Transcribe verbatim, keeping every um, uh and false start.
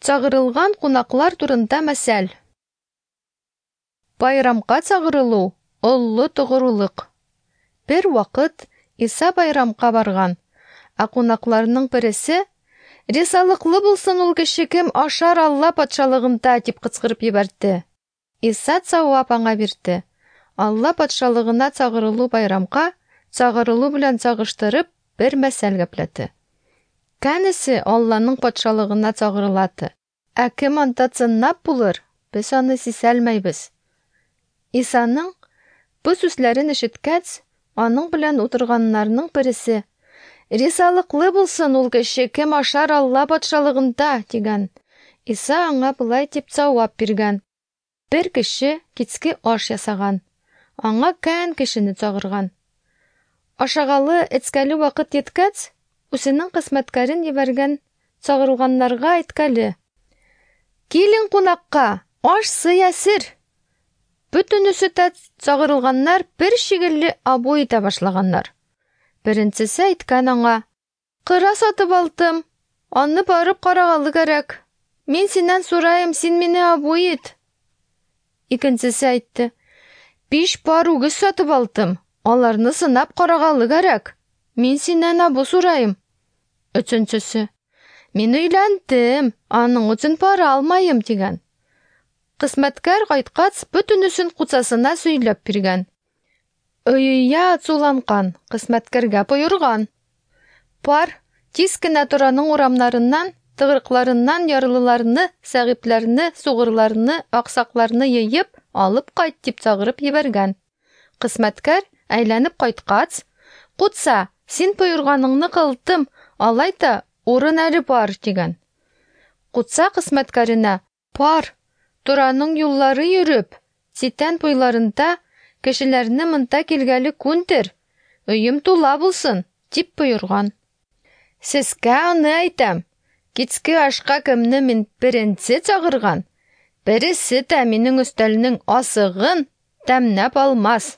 Чагырылган кунаклар турында мәсәл. Байрамга чагырылу олы тугрылык. Бер вакыт Иса байрамга барган, ә кунакларның бересе: "Ризалыклы булсын ул кеше, кем ашар Алла патшалыгында", дип кычкырып җибәрде. Иса җавап аңа бирде: Алла патшалыгына чагырылу байрамга чагырылу белән чагыштырып бер мәсәл гәпләде. Кәнесе Алланың патшалыгына чагырылады. Ә кем анда чынлап булыр, без аны сизәлмәйбез. Исаның бу сүзләрен ишеткәч, аның белән утырганнарның бересе: "Ризалыклы булсын ул кеше, кем ашар Алла патшалыгында", дигән. Иса аңа болай дип җавап биргән: Бер кеше кичке аш ясаган. Аңа кән кешене чагырган. Ашагалы, эчкәле вакыт еткәч, үзенең хезмәткәрен җибәргән чагырылганнарга әйткәле: "Килен кунакка, аш сый әзер". Бөтенесе дә чагырылганнар бер шигелле абу итә башлаганнар. Беренчесе әйткән аңа: "Кыра сатып алдым, аны барып карагалы кирәк. Мин синнән сорайым, син мине абу ит". Икенчесе әйтте: "Биш пар үгез сатып алдым, аларны сынап карагалы кирәк. Мин синнән абу сорайым". Өченчесе: "Мин өйләндем, аның өчен бара алмайым", дигән. Хезмәткәр кайткач, бөтенесен куцасына сөйләп биргән. Өйә ачуланган, хезмәткәргә боерган: "Бар, тиз генә Тораның урамнарыннан, тыгырыкларыннан ярлыларны, сәгыйбләрне, сугырларны, аксакларны йыйып алып кайт", дип чагырып җибәргән. Хезмәткәр әйләнеп кайткач: "Кутса, син боерганыңны кылдым, алай да урын әле бар", дигән. Кутса хезмәткәренә: "Бар, Тораның юллары йөреп, читән буйларында кешеләрне монда килгәле күндер, өем тула булсын", дип боерган. Сезгә аны әйтәм, кичке ашка кемне мин беренче чагырган, бересе дә минем өстәлнең асыгын тәмнәп алмас.